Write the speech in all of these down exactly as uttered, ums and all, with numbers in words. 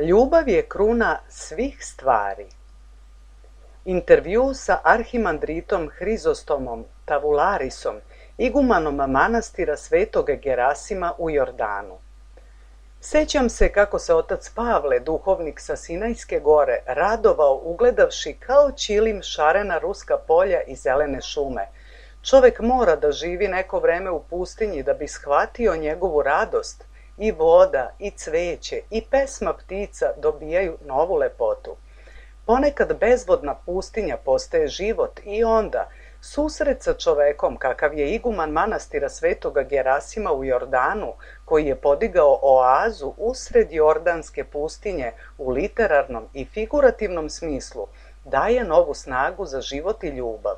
Ljubav je kruna svih stvari. Intervju sa arhimandritom Hrizostomom Tavularisom, igumanom manastira Svetog Gerasima u Jordanu. Sećam se kako se otac Pavle, duhovnik sa Sinajske gore, radovao ugledavši kao ćilim šarena ruska polja i zelene šume. Čovek mora da živi neko vreme u pustinji da bi shvatio njegovu radost. I voda, i cveće, i pesma ptica dobijaju novu lepotu. Ponekad bezvodna pustinja postaje život i onda susret sa čovekom kakav je iguman manastira Svetoga Gerasima u Jordanu, koji je podigao oazu usred jordanske pustinje u literarnom i figurativnom smislu, daje novu snagu za život i ljubav.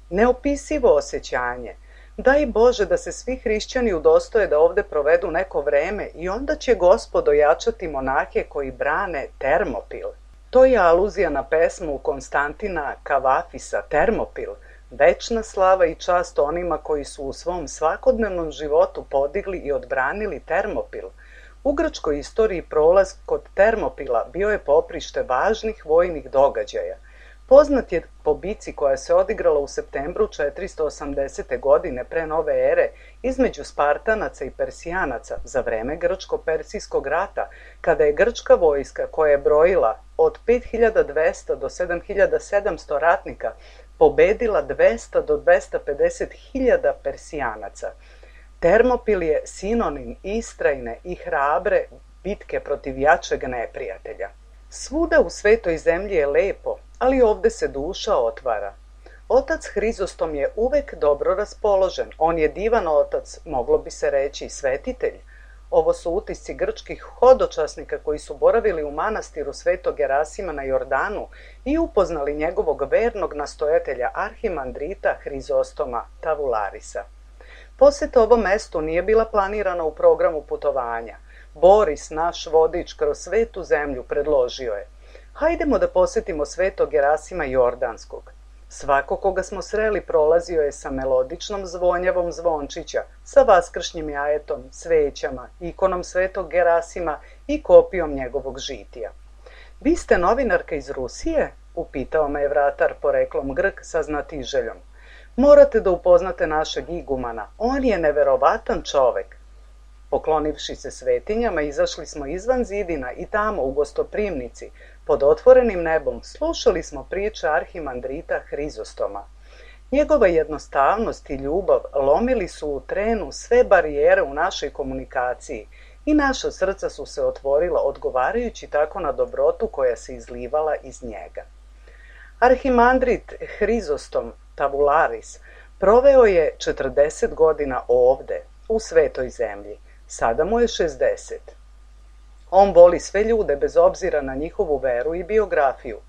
Neopisivo osjećanje. Daj Bože da se svi hrišćani udostoje da ovde provedu neko vreme i onda će Gospod ojačati monahe koji brane Termopil. To je aluzija na pesmu Konstantina Kavafisa Termopil, večna slava i čast onima koji su u svom svakodnevnom životu podigli i odbranili Termopil. U grčkoj istoriji prolaz kod Termopila bio je poprište važnih vojnih događaja. Poznat je po bici koja se odigrala u septembru četiristo osamdesete. godine pre nove ere između Spartanaca i Persijanaca za vreme Grčko-Persijskog rata, kada je grčka vojska, koja je brojila od pet hiljada dvesta do sedam hiljada sedamsto ratnika, pobedila dvesta do dvesta pedeset hiljada Persijanaca. Termopil je sinonim istrajne i hrabre bitke protiv jačeg neprijatelja. Svuda u svetoj zemlji je lepo, ali ovde se duša otvara. Otac Hrizostom je uvek dobro raspoložen. On je divan otac, moglo bi se reći svetitelj. Ovo su utisci grčkih hodočasnika koji su boravili u manastiru Svetog Gerasima na Jordanu i upoznali njegovog vernog nastojatelja arhimandrita Hrizostoma Tavularisa. Poseta ovom mestu nije bila planirana u programu putovanja. Boris, naš vodič kroz svetu zemlju, predložio je: hajdemo da posetimo Svetog Gerasima Jordanskog. Svako koga smo sreli prolazio je sa melodičnom zvonjavom zvončića, sa vaskršnjim jajetom, svećama, ikonom Svetog Gerasima i kopijom njegovog žitija. Vi ste novinarka iz Rusije? Upitao me je vratar poreklom Grk sa znatiželjom. Morate da upoznate našeg igumana, on je neverovatan čovek. Poklonivši se svetinjama, izašli smo izvan zidina i tamo u gostoprimnici, pod otvorenim nebom, slušali smo priče arhimandrita Hrizostoma. Njegova jednostavnost i ljubav lomili su u trenu sve barijere u našoj komunikaciji i naša srca su se otvorila odgovarajući tako na dobrotu koja se izlivala iz njega. Arhimandrit Hrizostom Tavularis proveo je četrdeset godina ovde, u svetoj zemlji. Sada mu je šezdeset. On voli sve ljude bez obzira na njihovu veru i biografiju.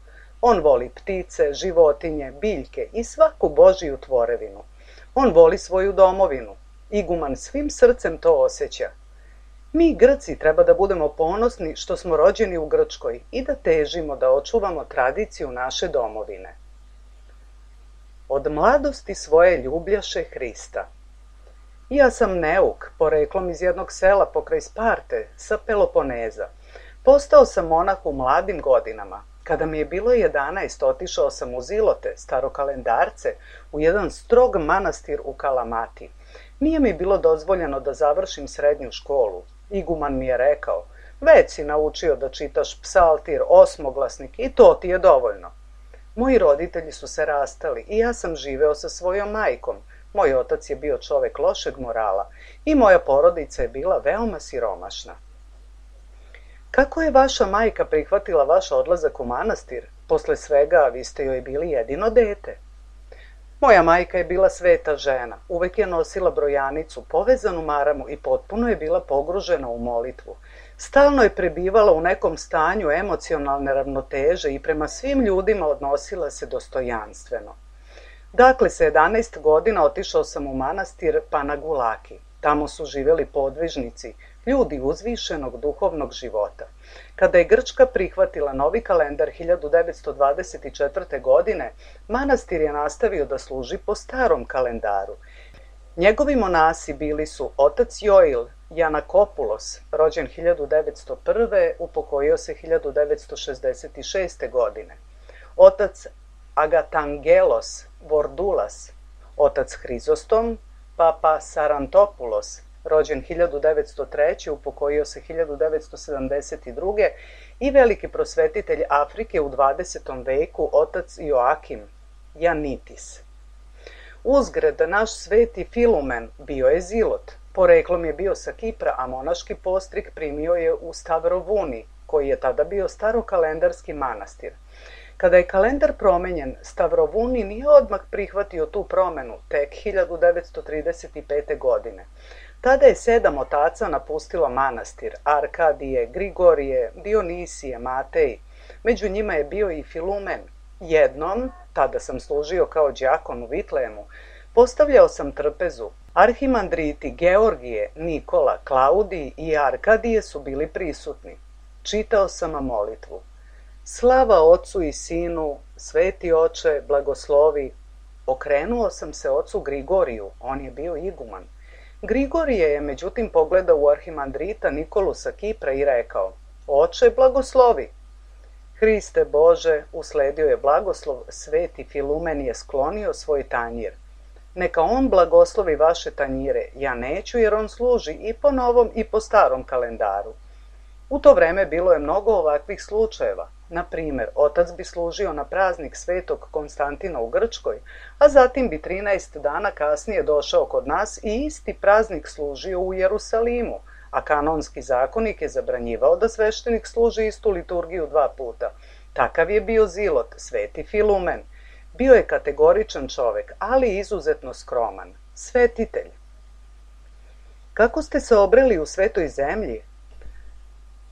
On voli ptice, životinje, biljke i svaku Božiju tvorevinu. On voli svoju domovinu. Iguman svim srcem to osjeća. Mi Grci treba da budemo ponosni što smo rođeni u Grčkoj i da težimo da očuvamo tradiciju naše domovine. Od mladosti svoje ljubljaše Hrista. Ja sam neuk, poreklom iz jednog sela pokraj Sparte, sa Peloponeza. Postao sam monah u mladim godinama. Kada mi je bilo jedanaest, otišao sam u Zilote, starokalendarce, u jedan strog manastir u Kalamati. Nije mi bilo dozvoljeno da završim srednju školu. Iguman mi je rekao: već si naučio da čitaš psaltir, osmoglasnik i to ti je dovoljno. Moji roditelji su se rastali i ja sam živeo sa svojom majkom. Moj otac je bio čovek lošeg morala i moja porodica je bila veoma siromašna. Kako je vaša majka prihvatila vaš odlazak u manastir? Posle svega, vi ste joj bili jedino dete. Moja majka je bila sveta žena, uvek je nosila brojanicu, povezanu maramu i potpuno je bila pogružena u molitvu. Stalno je prebivala u nekom stanju emocionalne ravnoteže i prema svim ljudima odnosila se dostojanstveno. Dakle, sa jedanaest godina otišao sam u manastir Panagulaki. Tamo su živeli podvižnici, ljudi uzvišenog duhovnog života. Kada je Grčka prihvatila novi kalendar hiljadu devetsto dvadeset četvrte. godine, manastir je nastavio da služi po starom kalendaru. Njegovi monasi bili su otac Joil, Janakopulos, rođen hiljadu devetsto prve, upokojio se hiljadu devetsto šezdeset šeste. godine. Otac Agatangelos Vordulas, otac Hrizostom, papa Sarantopulos, rođen hiljadu devetsto treće. upokojio se hiljadu devetsto sedamdeset druge. i veliki prosvetitelj Afrike u dvadesetom veku, otac Joakim Janitis. Uzgred, naš sveti Filumen bio je zilot. Poreklom je bio sa Kipra, a monaški postrik primio je u Stavrovuni, koji je tada bio starokalendarski manastir. Kada je kalendar promenjen, Stavrovuni nije odmah prihvatio tu promenu, tek hiljadu devetsto trideset pete. godine. Tada je sedam otaca napustilo manastir: Arkadije, Grigorije, Dionisije, Matej. Među njima je bio i Filumen. Jednom, tada sam služio kao đakon u Vitlejemu, postavljao sam trpezu. Arhimandriti Georgije, Nikola, Klaudij i Arkadije su bili prisutni. Čitao sam molitvu. Slava Ocu i Sinu, Sveti Oče, blagoslovi. Okrenuo sam se ocu Grigoriju, on je bio iguman. Grigorije je međutim pogledao u arhimandrita Nikolu sa Kipra i rekao: Oče, blagoslovi. Hriste Bože, usledio je blagoslov, sveti Filumen je sklonio svoj tanjir. Neka on blagoslovi vaše tanjire, ja neću jer on služi i po novom i po starom kalendaru. U to vreme bilo je mnogo ovakvih slučajeva. Na primjer, otac bi služio na praznik svetog Konstantina u Grčkoj, a zatim bi trinaest dana kasnije došao kod nas i isti praznik služio u Jerusalimu, a kanonski zakonik je zabranjivao da sveštenik služi istu liturgiju dva puta. Takav je bio zilot, sveti Filumen. Bio je kategoričan čovek, ali izuzetno skroman. Svetitelj. Kako ste se obreli u svetoj zemlji?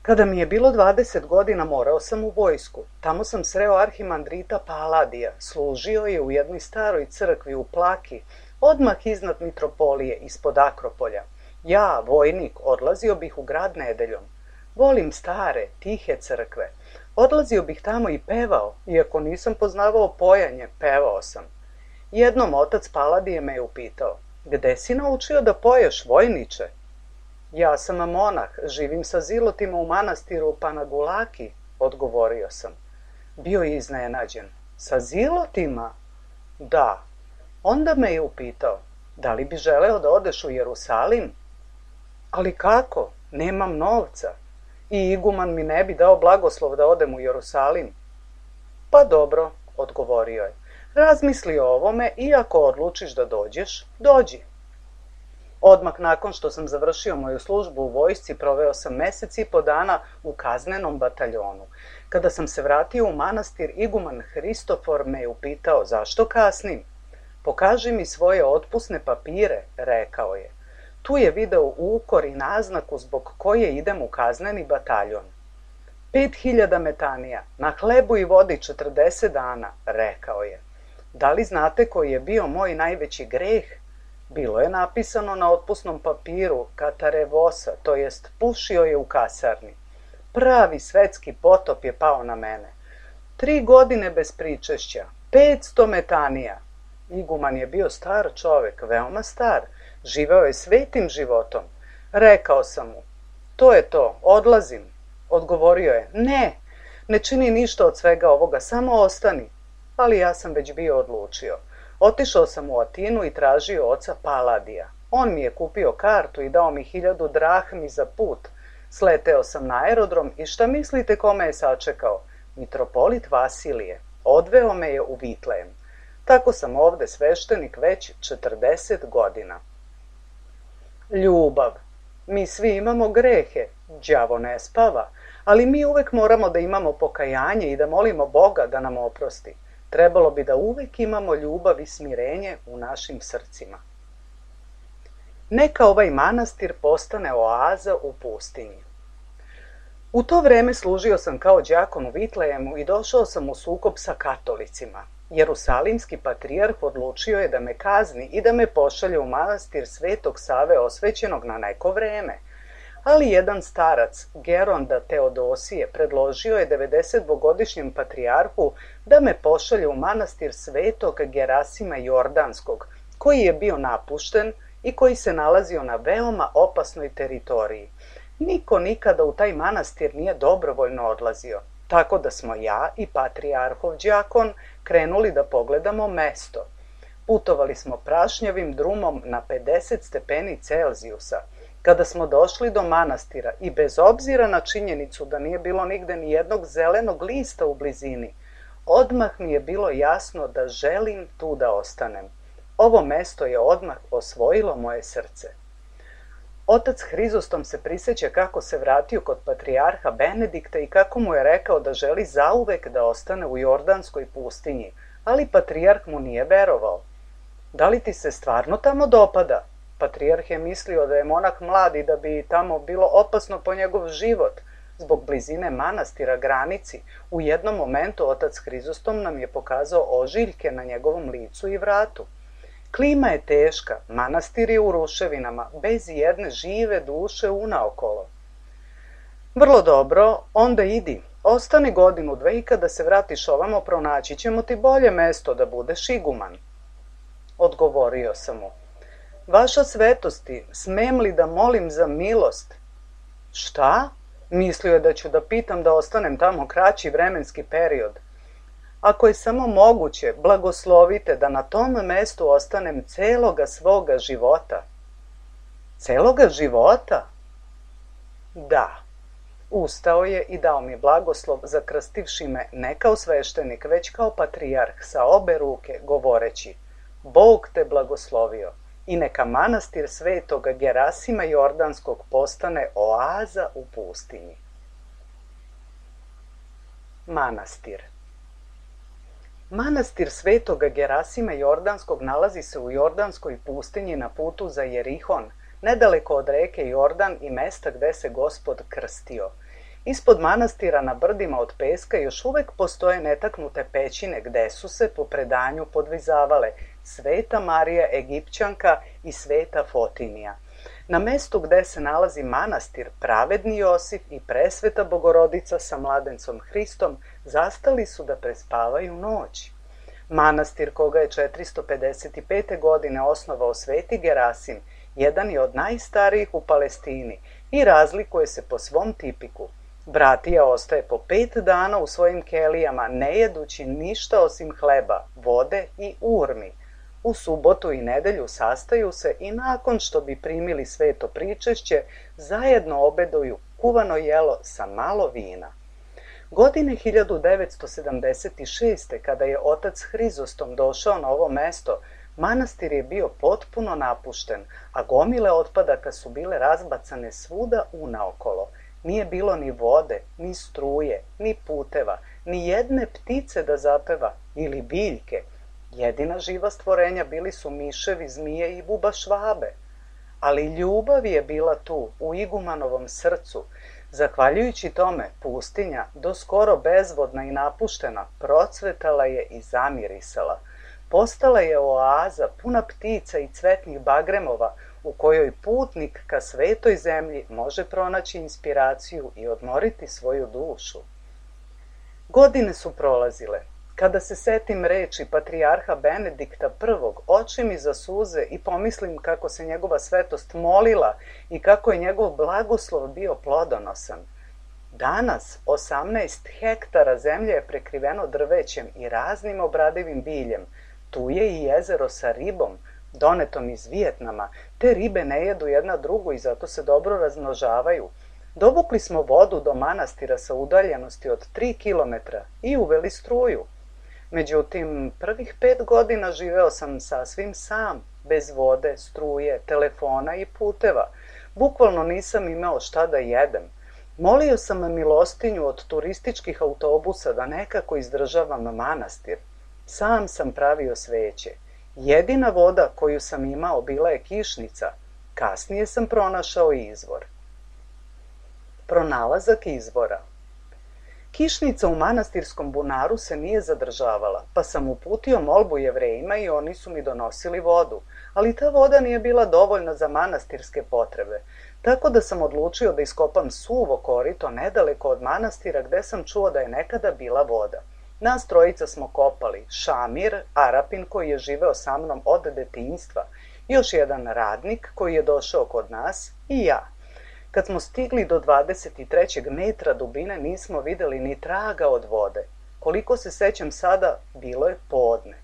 Kada mi je bilo dvadeset godina, morao sam u vojsku. Tamo sam sreo arhimandrita Paladija. Služio je u jednoj staroj crkvi u Plaki, odmah iznad Mitropolije, ispod Akropolja. Ja, vojnik, odlazio bih u grad nedeljom. Volim stare, tihe crkve. Odlazio bih tamo i pevao, iako nisam poznavao pojanje, pevao sam. Jednom otac Paladije me je upitao: Gde si naučio da poješ, vojniče? Ja sam monah, živim sa zilotima u manastiru Panagulaki, odgovorio sam. Bio je iznenađen. Sa zilotima? Da. Onda me je upitao: Da li bi želeo da odeš u Jerusalim? Ali kako? Nemam novca. I iguman mi ne bi dao blagoslov da odem u Jerusalim. Pa dobro, odgovorio je. Razmisli o ovome i ako odlučiš da dođeš, dođi. Odmah nakon što sam završio moju službu u vojsci, proveo sam mesec i po dana u kaznenom bataljonu. Kada sam se vratio u manastir, iguman Hristofor me je upitao: Zašto kasnim? Pokaži mi svoje otpusne papire, rekao je. Tu je video ukor i naznaku zbog koje idem u kazneni bataljon. Pet hiljada metanija, na hlebu i vodi četrdeset dana, rekao je. Da li znate koji je bio moj najveći greh? Bilo je napisano na otpusnom papiru katarevosa, to jest pušio je u kasarni. Pravi svetski potop je pao na mene. Tri godine bez pričešća, petsto metanija. Iguman je bio star čovek, veoma star, živeo je svetim životom. Rekao sam mu: To je to, odlazim. Odgovorio je: Ne, ne čini ništa od svega ovoga, samo ostani. Ali ja sam već bio odlučio. Otišao sam u Atinu i tražio oca Paladija. On mi je kupio kartu i dao mi hiljadu drahmi za put. Sleteo sam na aerodrom i šta mislite kome je sačekao? Mitropolit Vasilije. Odveo me je u Vitlejem. Tako sam ovde sveštenik već četrdeset godina. Ljubav. Mi svi imamo grehe, đavo ne spava, ali mi uvek moramo da imamo pokajanje i da molimo Boga da nam oprosti. Trebalo bi da uvek imamo ljubav i smirenje u našim srcima. Neka ovaj manastir postane oaza u pustinji. U to vreme služio sam kao đakon u Vitlejemu i došao sam u sukob sa katolicima. Jerusalimski patrijarh odlučio je da me kazni i da me pošalje u manastir Svetog Save osvećenog na neko vreme. Ali jedan starac, Geronda Teodosije, predložio je devedesetdvogodišnjem patrijarhu da me pošalje u manastir Svetog Gerasima Jordanskog, koji je bio napušten i koji se nalazio na veoma opasnoj teritoriji. Niko nikada u taj manastir nije dobrovoljno odlazio, tako da smo ja i patrijarhov đakon krenuli da pogledamo mesto. Putovali smo prašnjavim drumom na pedeset stepeni Celzijusa. Kada smo došli do manastira i bez obzira na činjenicu da nije bilo nigde ni jednog zelenog lista u blizini, odmah mi je bilo jasno da želim tu da ostanem. Ovo mesto je odmah osvojilo moje srce. Otac Hrizostom se prisjeća kako se vratio kod patrijarha Benedikta i kako mu je rekao da želi zauvek da ostane u Jordanskoj pustinji, ali patrijarh mu nije verovao. Da li ti se stvarno tamo dopada? Patrijarh je mislio da je monah mlad i da bi tamo bilo opasno po njegov život. Zbog blizine manastira granici, u jednom momentu otac Hrizostom nam je pokazao ožiljke na njegovom licu i vratu. Klima je teška, manastir je u ruševinama, bez jedne žive duše unaokolo. Vrlo dobro, onda idi, ostani godinu dve i kada se vratiš ovamo pronaći ćemo ti bolje mesto da budeš iguman. Odgovorio sam mu. Vaša svetosti, smem li da molim za milost? Šta? Mislio je da ću da pitam da ostanem tamo kraći vremenski period. Ako je samo moguće, blagoslovite da na tom mestu ostanem celoga svoga života. Celoga života? Da. Ustao je i dao mi blagoslov, zakrstivši me ne kao sveštenik, već kao patrijarh sa obe ruke, govoreći: Bog te blagoslovio i neka manastir svetoga Gerasima Jordanskog postane oaza u pustinji. Manastir. Manastir svetoga Gerasima Jordanskog nalazi se u Jordanskoj pustinji na putu za Jerihon, nedaleko od reke Jordan i mesta gde se Gospod krstio. Ispod manastira na brdima od peska još uvek postoje netaknute pećine gde su se po predanju podvizavale Sveta Marija Egipćanka i Sveta Fotinija. Na mestu gde se nalazi manastir, pravedni Josif i presveta Bogorodica sa mladencom Hristom zastali su da prespavaju noć. Manastir, koga je četiristo pedeset pete. godine osnovao sveti Gerasim, jedan je od najstarijih u Palestini i razlikuje se po svom tipiku. Bratija ostaje po pet dana u svojim kelijama, ne jedući ništa osim hleba, vode i urmi. U subotu i nedelju sastaju se i nakon što bi primili sveto pričešće, zajedno obeduju kuvano jelo sa malo vina. Godine hiljadu devetsto sedamdeset šeste. kada je otac Hrizostom došao na ovo mesto, manastir je bio potpuno napušten, a gomile otpadaka su bile razbacane svuda unaokolo. Nije bilo ni vode, ni struje, ni puteva, ni jedne ptice da zapeva ili biljke. Jedina živa stvorenja bili su miševi, zmije i buba švabe. Ali ljubav je bila tu, u igumanovom srcu. Zahvaljujući tome, pustinja, do skoro bezvodna i napuštena, procvetala je i zamirisala. Postala je oaza puna ptica i cvetnih bagremova, u kojoj putnik ka svetoj zemlji može pronaći inspiraciju i odmoriti svoju dušu. Godine su prolazile. Kada se setim reči patrijarha Benedikta prvog, oči mi zasuze i pomislim kako se njegova svetost molila i kako je njegov blagoslov bio plodonosan. Danas osamnaest hektara zemlje je prekriveno drvećem i raznim obradivim biljem. Tu je i jezero sa ribom, donetom iz Vijetnama. Te ribe ne jedu jedna drugu i zato se dobro razmnožavaju. Dovukli smo vodu do manastira sa udaljenosti od tri kilometra i uveli struju. Međutim, prvih pet godina živeo sam sasvim sam, bez vode, struje, telefona i puteva. Bukvalno nisam imao šta da jedem. Molio sam milostinju od turističkih autobusa da nekako izdržavam manastir. Sam sam pravio sveće. Jedina voda koju sam imao bila je kišnica. Kasnije sam pronašao izvor. Pronalazak izvora. Kišnica u manastirskom bunaru se nije zadržavala, pa sam uputio molbu Jevrejima i oni su mi donosili vodu, ali ta voda nije bila dovoljna za manastirske potrebe, tako da sam odlučio da iskopam suvo korito nedaleko od manastira gde sam čuo da je nekada bila voda. Nas trojica smo kopali, Šamir, Arapin koji je živeo sa mnom od detinjstva, još jedan radnik koji je došao kod nas i ja. Kad smo stigli do dvadeset trećeg metra dubine nismo vidjeli ni traga od vode. Koliko se sećam sada, bilo je podne.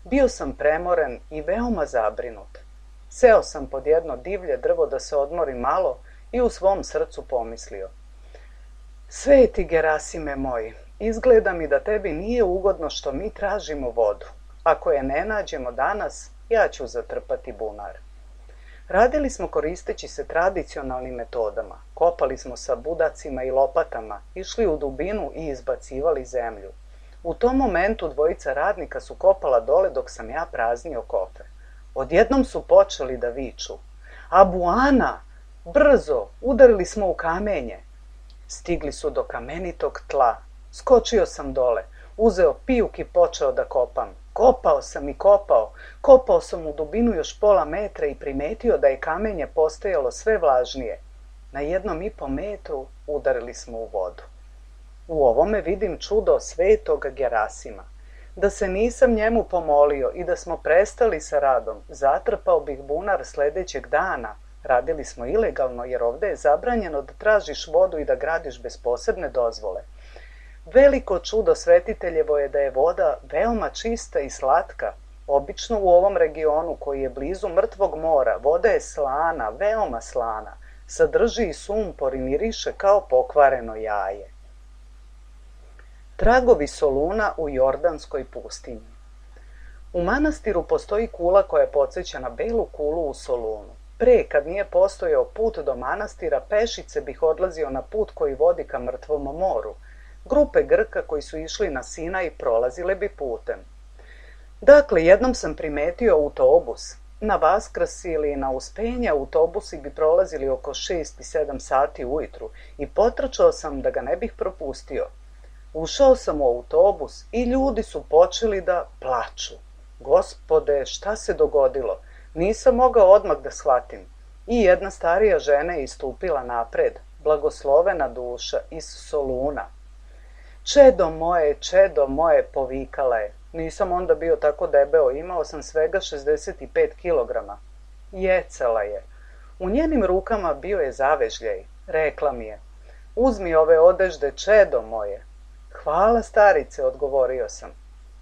Bio sam premoren i veoma zabrinut. Seo sam pod jedno divlje drvo da se odmorim malo i u svom srcu pomislio: Sveti Gerasime moj, izgleda mi da tebi nije ugodno što mi tražimo vodu. Ako je ne nađemo danas, ja ću zatrpati bunar. Radili smo koristeći se tradicionalnim metodama. Kopali smo sa budacima i lopatama, išli u dubinu i izbacivali zemlju. U tom momentu dvojica radnika su kopala dole dok sam ja praznio kofer. Odjednom su počeli da viču: Abuana! Brzo! Udarili smo u kamenje! Stigli su do kamenitog tla. Skočio sam dole, uzeo pijuk i počeo da kopam. Kopao sam i kopao. Kopao sam u dubinu još pola metra i primetio da je kamenje postajalo sve vlažnije. Na jednom i po metru udarili smo u vodu. U ovome vidim čudo svetog Gerasima. Da se nisam njemu pomolio i da smo prestali sa radom, zatrpao bih bunar sledećeg dana. Radili smo ilegalno jer ovde je zabranjeno da tražiš vodu i da gradiš bez posebne dozvole. Veliko čudo svetiteljevo je da je voda veoma čista i slatka. Obično u ovom regionu koji je blizu mrtvog mora, voda je slana, veoma slana. Sadrži i sumpor i miriše kao pokvareno jaje. Tragovi Soluna u Jordanskoj pustinji. U manastiru postoji kula koja podseća na belu kulu u Solunu. Pre, kad nije postojao put do manastira, pešice bih odlazio na put koji vodi ka mrtvom moru. Grupe Grka koji su išli na Sinaj prolazile bi putem. Dakle, jednom sam primetio autobus. Na Vaskrs ili na Uspenje autobusi bi prolazili oko šest i sedam sati ujutru i potrčao sam da ga ne bih propustio. Ušao sam u autobus i ljudi su počeli da plaču. Gospode, šta se dogodilo? Nisam mogao odmah da shvatim. I jedna starija žena je istupila napred, blagoslovena duša, iz Soluna. Čedo moje, čedo moje, povikala je. Nisam onda bio tako debeo, imao sam svega šezdeset pet kilograma. Jecala je. U njenim rukama bio je zavežljaj. Rekla mi je: Uzmi ove odežde, čedo moje. Hvala, starice, odgovorio sam.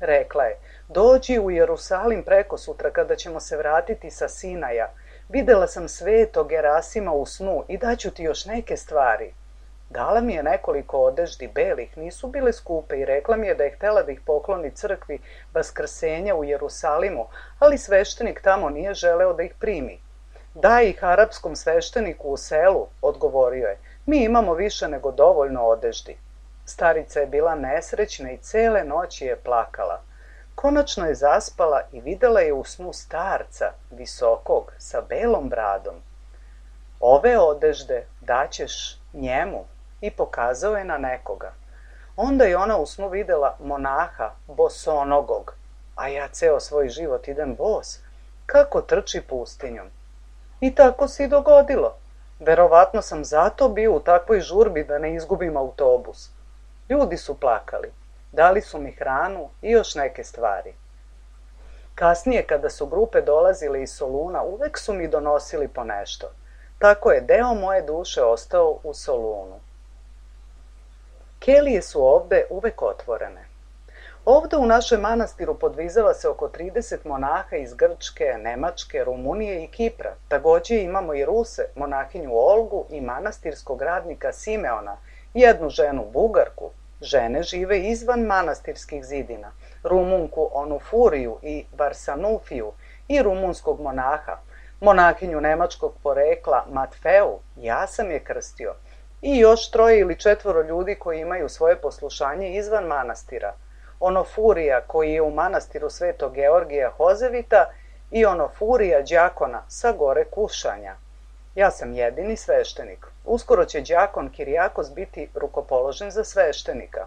Rekla je: Dođi u Jerusalim preko sutra kada ćemo se vratiti sa Sinaja. Videla sam svetog Gerasima u snu i daću ti još neke stvari. Dala mi je nekoliko odeždi belih, nisu bile skupe i rekla mi je da je htela da ih pokloni crkvi Vaskrsenja u Jerusalimu, ali sveštenik tamo nije želeo da ih primi. Daj ih arapskom svešteniku u selu, odgovorio je. Mi imamo više nego dovoljno odeždi. Starica je bila nesrećna i cele noći je plakala. Konačno je zaspala i videla je u snu starca, visokog, sa belom bradom. Ove odežde daćeš njemu, i pokazao je na nekoga. Onda je ona u snu videla monaha, bosonogog, a ja ceo svoj život idem bos, kako trči pustinjom. I tako se i dogodilo. Verovatno sam zato bio u takvoj žurbi da ne izgubim autobus. Ljudi su plakali, dali su mi hranu i još neke stvari. Kasnije, kada su grupe dolazile iz Soluna, uvek su mi donosili po nešto. Tako je deo moje duše ostao u Solunu. Kelije su ovde uvek otvorene. Ovde u našem manastiru podvizava se oko trideset monaha iz Grčke, Nemačke, Rumunije i Kipra. Takođe imamo i Ruse, monahinju Olgu i manastirskog radnika Simeona, jednu ženu Bugarku. Žene žive izvan manastirskih zidina, Rumunku Onufuriju i Varsanufiju i rumunskog monaha, monahinju nemačkog porekla Matfeu, ja sam je krstio, i još troje ili četvoro ljudi koji imaju svoje poslušanje izvan manastira, Onofurija koji je u manastiru Svetog Georgija Hozevita i Onofurija đakona sa gore Kušanja. Ja sam jedini sveštenik. Uskoro će đakon Kirijakos biti rukopoložen za sveštenika.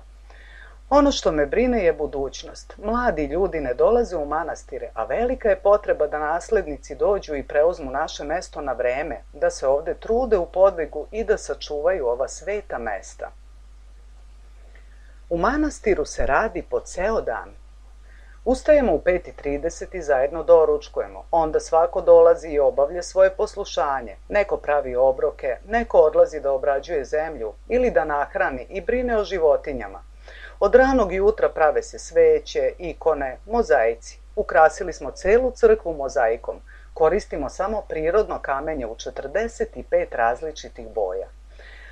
Ono što me brine je budućnost. Mladi ljudi ne dolaze u manastire, a velika je potreba da naslednici dođu i preuzmu naše mesto na vreme, da se ovde trude u podvigu i da sačuvaju ova sveta mesta. U manastiru se radi po ceo dan. Ustajemo u pet i trideset i zajedno doručkujemo. Onda svako dolazi i obavlja svoje poslušanje. Neko pravi obroke, neko odlazi da obrađuje zemlju ili da nahrani i brine o životinjama. Od ranog jutra prave se sveće, ikone, mozaici. Ukrasili smo celu crkvu mozaikom. Koristimo samo prirodno kamenje u četrdeset pet različitih boja.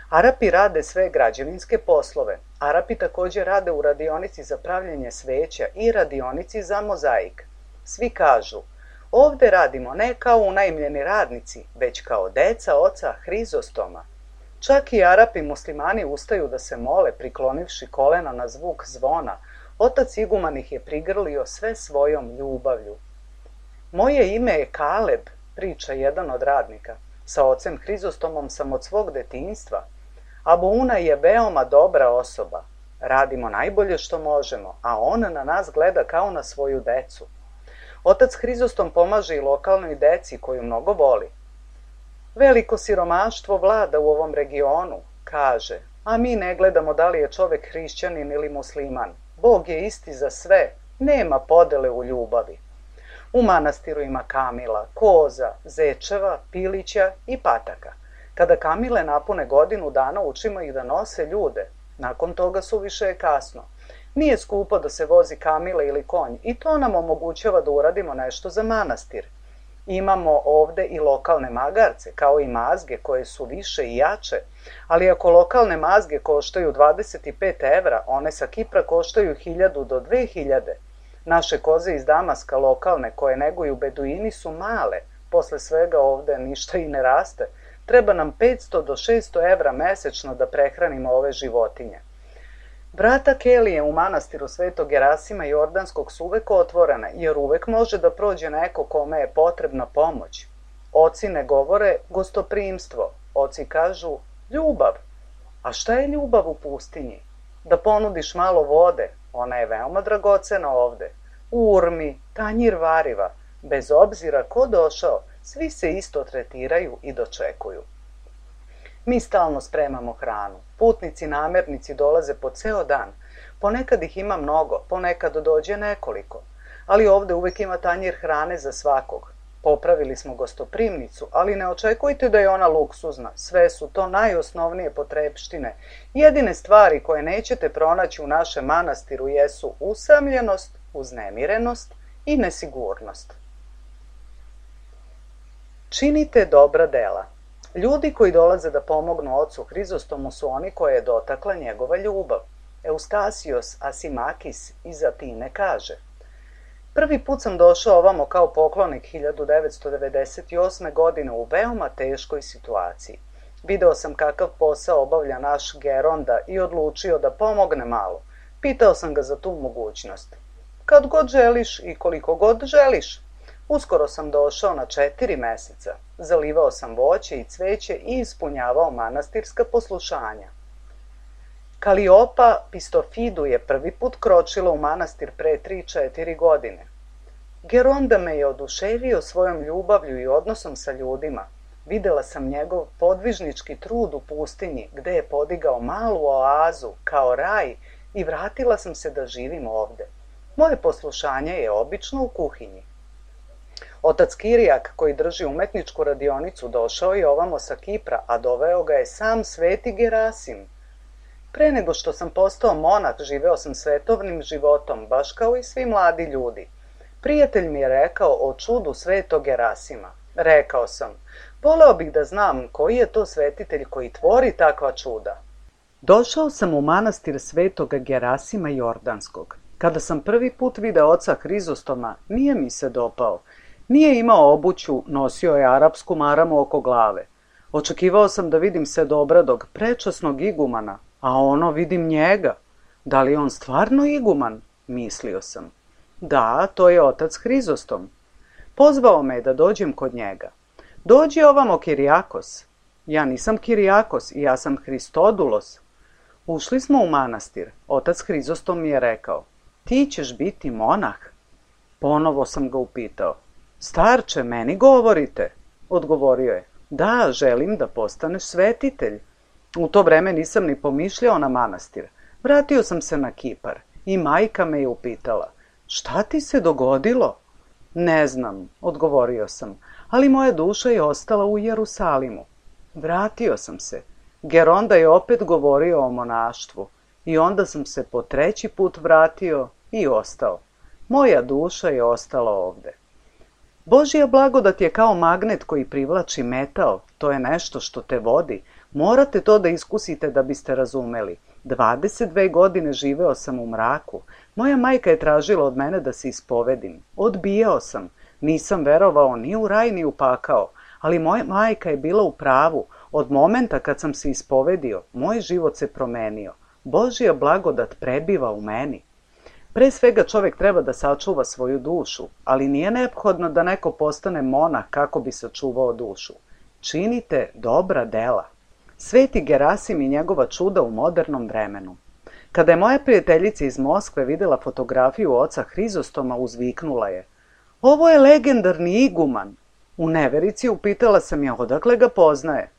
Arapi rade sve građevinske poslove. Arapi također rade u radionici za pravljenje sveća i radionici za mozaik. Svi kažu, ovde radimo ne kao unajmljeni radnici, već kao deca oca Hrizostoma. Čak i Arapi muslimani ustaju da se mole, priklonivši kolena na zvuk zvona. Otac iguman ih je prigrlio sve svojom ljubavlju. Moje ime je Kaleb, priča jedan od radnika. Sa ocem Hrizostomom sam od svog detinjstva. Abuuna je veoma dobra osoba. Radimo najbolje što možemo, a on na nas gleda kao na svoju decu. Otac Hrizostom pomaže i lokalnoj deci koju mnogo voli. Veliko siromaštvo vlada u ovom regionu, kaže, a mi ne gledamo da li je čovek hrišćanin ili musliman. Bog je isti za sve, nema podele u ljubavi. U manastiru ima kamila, koza, zečeva, pilića i pataka. Kada kamile napune godinu dana učimo ih da nose ljude. Nakon toga suviše je kasno. Nije skupo da se vozi kamila ili konj i to nam omogućava da uradimo nešto za manastir. Imamo ovde i lokalne magarce, kao i mazge koje su više i jače, ali ako lokalne mazge koštaju dvadeset pet evra, one sa Kipra koštaju hiljadu do dve hiljade. Naše koze iz Damaska lokalne koje neguju beduini su male, posle svega ovde ništa i ne raste. Treba nam petsto do šesto evra mesečno da prehranimo ove životinje. Vrata Kelije u manastiru Svetog Gerasima Jordanskog su uvek otvorene, jer uvek može da prođe neko kome je potrebna pomoć. Oci ne govore gostoprimstvo, oci kažu ljubav. A šta je ljubav u pustinji? Da ponudiš malo vode, ona je veoma dragocena ovde. U urmi, tanjir variva, bez obzira ko došao, svi se isto tretiraju i dočekuju. Mi stalno spremamo hranu. Putnici, namernici dolaze po ceo dan. Ponekad ih ima mnogo, ponekad dođe nekoliko. Ali ovde uvek ima tanjir hrane za svakog. Popravili smo gostoprimnicu, ali ne očekujte da je ona luksuzna. Sve su to najosnovnije potrepštine. Jedine stvari koje nećete pronaći u našem manastiru jesu usamljenost, uznemirenost i nesigurnost. Činite dobra dela. Ljudi koji dolaze da pomognu ocu Hrizostomu su oni koje je dotakla njegova ljubav. Eustasios Asimakis iz Atine kaže: Prvi put sam došao ovamo kao poklonik hiljadu devetsto devedeset osme. godine u veoma teškoj situaciji. Video sam kakav posao obavlja naš Geronda i odlučio da pomogne malo. Pitao sam ga za tu mogućnost. Kad god želiš i koliko god želiš. Uskoro sam došao na četiri meseca. Zalivao sam voće i cveće i ispunjavao manastirska poslušanja. Kaliopa Pistofidu je prvi put kročila u manastir pre tri četiri godine. Geronda me je oduševio svojom ljubavlju i odnosom sa ljudima. Videla sam njegov podvižnički trud u pustinji, gde je podigao malu oazu, kao raj, i vratila sam se da živim ovde. Moje poslušanje je obično u kuhinji. Otac Kirijak, koji drži umetničku radionicu, došao je ovamo sa Kipra, a doveo ga je sam sveti Gerasim. Pre nego što sam postao monah, živeo sam svetovnim životom, baš kao i svi mladi ljudi. Prijatelj mi je rekao o čudu svetog Gerasima. Rekao sam, voleo bih da znam koji je to svetitelj koji tvori takva čuda. Došao sam u manastir svetog Gerasima Jordanskog. Kada sam prvi put video oca Hrizostoma, nije mi se dopao. Nije imao obuću, nosio je arapsku maramu oko glave. Očekivao sam da vidim sedobradog, prečasnog igumana, a ono vidim njega. Da li je on stvarno iguman? Mislio sam. Da, to je otac Hrizostom. Pozvao me da dođem kod njega. Dođi ovamo, Kirijakos. Ja nisam Kirijakos i ja sam Hristodulos. Ušli smo u manastir. Otac Hrizostom mi je rekao, ti ćeš biti monah. Ponovo sam ga upitao. Starče, meni govorite? Odgovorio je, da, želim da postaneš svetitelj. U to vreme nisam ni pomišljao na manastir. Vratio sam se na Kipar i majka me je upitala, Šta ti se dogodilo? Ne znam, odgovorio sam, ali moja duša je ostala u Jerusalimu. Vratio sam se. Geronda je opet govorio o monaštvu i onda sam se po treći put vratio i ostao. Moja duša je ostala ovde. Božja blagodat je kao magnet koji privlači metal, to je nešto što te vodi. Morate to da iskusite da biste razumeli. dvadeset dve godine živeo sam u mraku. Moja majka je tražila od mene da se ispovedim. Odbijao sam. Nisam verovao ni u raj ni u pakao, ali moja majka je bila u pravu. Od momenta kad sam se ispovedio, moj život se promenio. Božja blagodat prebiva u meni. Pre svega čovek treba da sačuva svoju dušu, ali nije neophodno da neko postane monah kako bi sačuvao dušu. Činite dobra dela. Sveti Gerasim i njegova čuda u modernom vremenu. Kada je moja prijateljica iz Moskve videla fotografiju oca Hrizostoma, uzviknula je: "Ovo je legendarni iguman." U neverici upitala sam je odakle ga poznaje.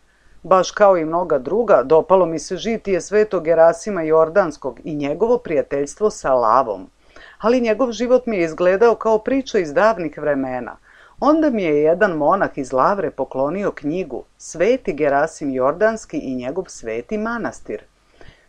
Baš kao i mnoga druga, dopalo mi se žitije svetog Gerasima Jordanskog i njegovo prijateljstvo sa lavom. Ali njegov život mi je izgledao kao priča iz davnih vremena. Onda mi je jedan monah iz Lavre poklonio knjigu Sveti Gerasim Jordanski i njegov sveti manastir.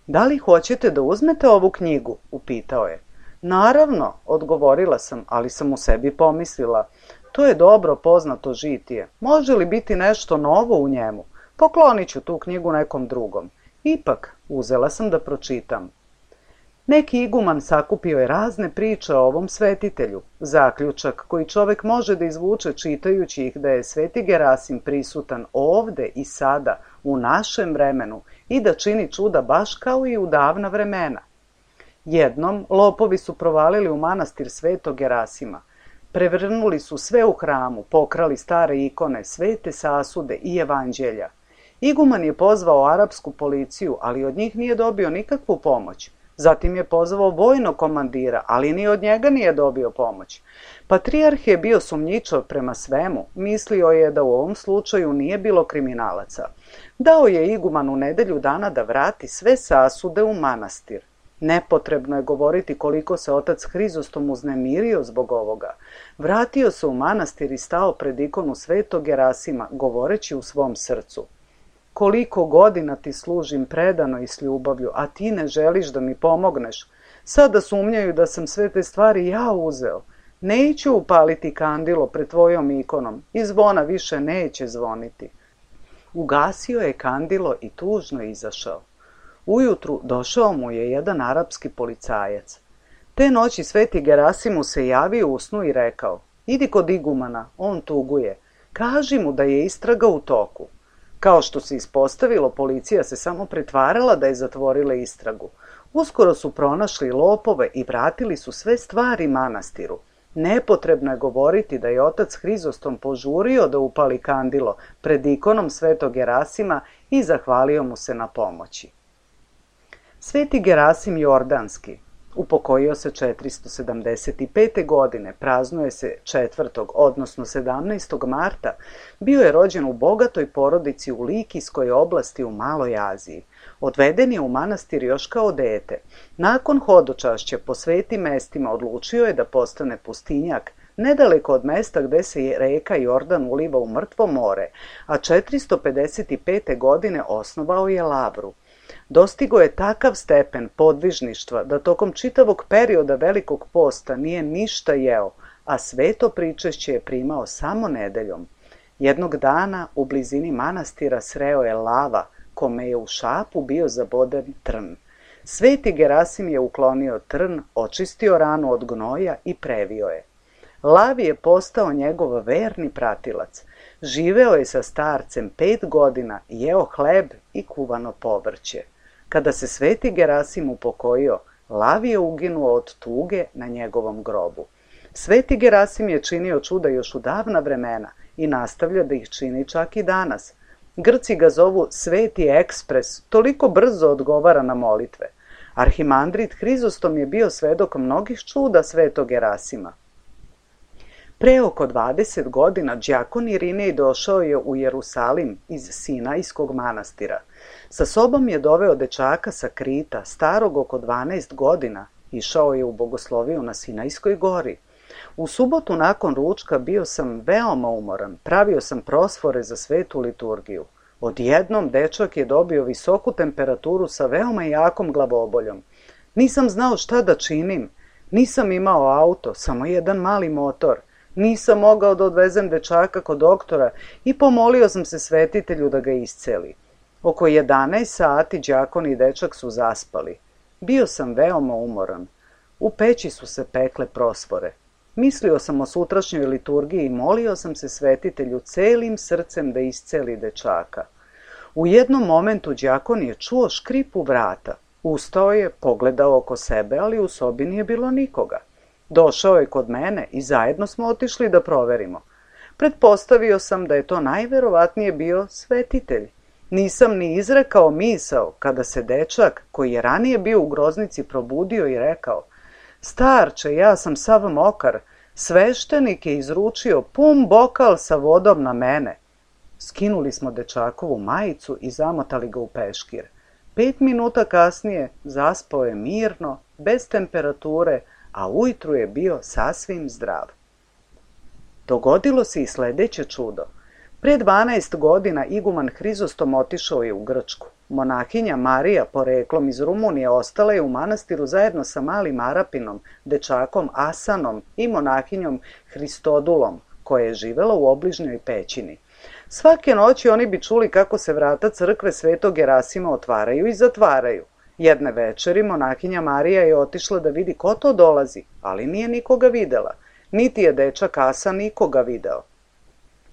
"Da li hoćete da uzmete ovu knjigu?" upitao je. "Naravno," odgovorila sam, ali sam u sebi pomislila: to je dobro poznato žitije. Može li biti nešto novo u njemu? Poklonit ću tu knjigu nekom drugom. Ipak, uzela sam da pročitam. Neki iguman sakupio je razne priče o ovom svetitelju. Zaključak koji čovek može da izvuče čitajući ih da je sveti Gerasim prisutan ovde i sada, u našem vremenu, i da čini čuda baš kao i u davna vremena. Jednom, lopovi su provalili u manastir svetog Gerasima. Prevrnuli su sve u hramu, pokrali stare ikone, svete sasude i evanđelja. Iguman je pozvao arapsku policiju, ali od njih nije dobio nikakvu pomoć. Zatim je pozvao vojnog komandira, ali ni od njega nije dobio pomoć. Patrijarh je bio sumnjičav prema svemu, mislio je da u ovom slučaju nije bilo kriminalaca. Dao je igumanu nedelju dana da vrati sve sasude u manastir. Nepotrebno je govoriti koliko se otac Hrizostom uznemirio zbog ovoga. Vratio se u manastir i stao pred ikonu svetog Gerasima, govoreći u svom srcu: "Koliko godina ti služim predano i s ljubavlju, a ti ne želiš da mi pomogneš. Sada sumnjaju da sam sve te stvari ja uzeo. Neću upaliti kandilo pred tvojom ikonom i zvona više neće zvoniti." Ugasio je kandilo i tužno izašao. Ujutru došao mu je jedan arapski policajac. Te noći sveti Gerasim mu se javio u snu i rekao: "Idi kod igumana, on tuguje. Kaži mu da je istraga u toku." Kao što se ispostavilo, policija se samo pretvarala da je zatvorila istragu. Uskoro su pronašli lopove i vratili su sve stvari manastiru. Nepotrebno je govoriti da je otac Hrizostom požurio da upali kandilo pred ikonom svetog Gerasima i zahvalio mu se na pomoći. Sveti Gerasim Jordanski upokojio se četiristo sedamdeset pete. godine, praznuje se četvrtog odnosno sedamnaestog marta, bio je rođen u bogatoj porodici u Likijskoj oblasti u Maloj Aziji. Odveden je u manastir još kao dete. Nakon hodočašća po svetim mestima odlučio je da postane pustinjak, nedaleko od mesta gde se reka Jordan uliva u Mrtvo more, a četiristo pedeset pete. godine osnovao je lavru. Dostigo je takav stepen podvižništva da tokom čitavog perioda Velikog posta nije ništa jeo, a sveto pričešće je primao samo nedeljom. Jednog dana u blizini manastira sreo je lava, kome je u šapu bio zaboden trn. Sveti Gerasim je uklonio trn, očistio ranu od gnoja i previo je. Lavi je postao njegov verni pratilac. Živeo je sa starcem pet godina, jeo hleb i kuvano povrće. Kada se sveti Gerasim upokojio, Lavi je uginuo od tuge na njegovom grobu. Sveti Gerasim je činio čuda još u davna vremena i nastavlja da ih čini čak i danas. Grci ga zovu Sveti ekspres, toliko brzo odgovara na molitve. Arhimandrit Hrizostom je bio svedok mnogih čuda svetog Gerasima. Pre oko dvadeset godina đakon Irinej došao je u Jerusalim iz Sinajskog manastira. Sa sobom je doveo dečaka sa Krita, starog oko dvanaest godina, Išao je u bogosloviju na Sinajskoj gori. U subotu nakon ručka bio sam veoma umoran, pravio sam prosfore za svetu liturgiju. Odjednom dečak je dobio visoku temperaturu sa veoma jakom glavoboljom. Nisam znao šta da činim. Nisam imao auto, samo jedan mali motor. Nisam mogao da odvezem dečaka kod doktora i pomolio sam se svetitelju da ga isceli. Oko jedanaest sati đakon i dečak su zaspali. Bio sam veoma umoran. U peći su se pekle prosfore. Mislio sam o sutrašnjoj liturgiji i molio sam se svetitelju celim srcem da isceli dečaka. U jednom momentu đakon je čuo škripu vrata. Ustao je, pogledao oko sebe, ali u sobi nije bilo nikoga. Došao je kod mene i zajedno smo otišli da proverimo. Pretpostavio sam da je to najverovatnije bio svetitelj. Nisam ni izrekao misao kada se dečak, koji je ranije bio u groznici, probudio i rekao: "Starče, ja sam sav mokar, sveštenik je izručio pun bokal sa vodom na mene." Skinuli smo dečakovu majicu i zamotali ga u peškir. Pet minuta kasnije zaspao je mirno, bez temperature, a ujutru je bio sasvim zdrav. Dogodilo se i sledeće čudo. Pre dvanaest godina iguman Hrizostom otišao je u Grčku. Monahinja Marija, poreklom iz Rumunije, ostala je u manastiru zajedno sa malim Arapinom, dečakom Asanom i monahinjom Hristodulom, koja je živela u obližnjoj pećini. Svake noći oni bi čuli kako se vrata crkve Svetog Gerasima otvaraju i zatvaraju. Jedne večeri monahinja Marija je otišla da vidi ko to dolazi, ali nije nikoga videla, niti je dečak Asan nikoga video.